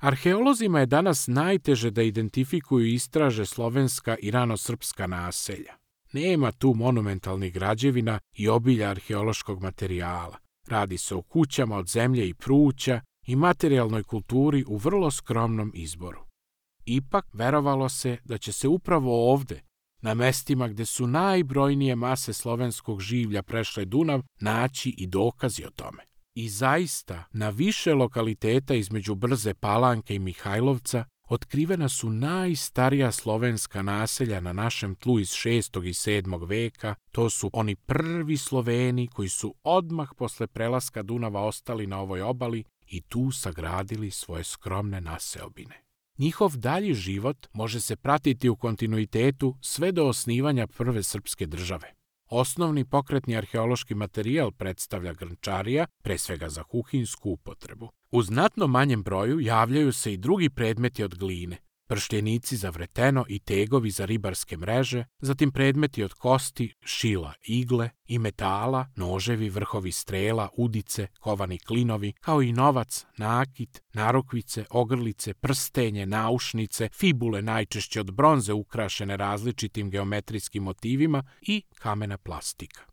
Arheolozima je danas najteže da identifikuju i istraže slovenska i ranosrpska naselja. Nema tu monumentalnih građevina i obilja arheološkog materijala. Radi se o kućama od zemlje i pruća i materijalnoj kulturi u vrlo skromnom izboru. Ipak, verovalo se da će se upravo ovde, na mestima gde su najbrojnije mase slovenskog življa prešle Dunav, naći i dokazi o tome. I zaista, na više lokaliteta između Brze Palanke i Mihajlovca otkrivena su najstarija slovenska naselja na našem tlu iz 6. i 7. veka. To su oni prvi Sloveni koji su odmah posle prelaska Dunava ostali na ovoj obali i tu sagradili svoje skromne naseobine. Njihov dalji život može se pratiti u kontinuitetu sve do osnivanja prve srpske države. Osnovni pokretni arheološki materijal predstavlja grnčarija, pre svega za kuhinsku upotrebu. U znatno manjem broju javljaju se i drugi predmeti od gline, prštenici za vreteno i tegovi za ribarske mreže, zatim predmeti od kosti, šila, igle i metala, noževi, vrhovi strela, udice, kovani klinovi, kao i novac, nakit, narukvice, ogrlice, prstenje, naušnice, fibule najčešće od bronze ukrašene različitim geometrijskim motivima i kamena plastika.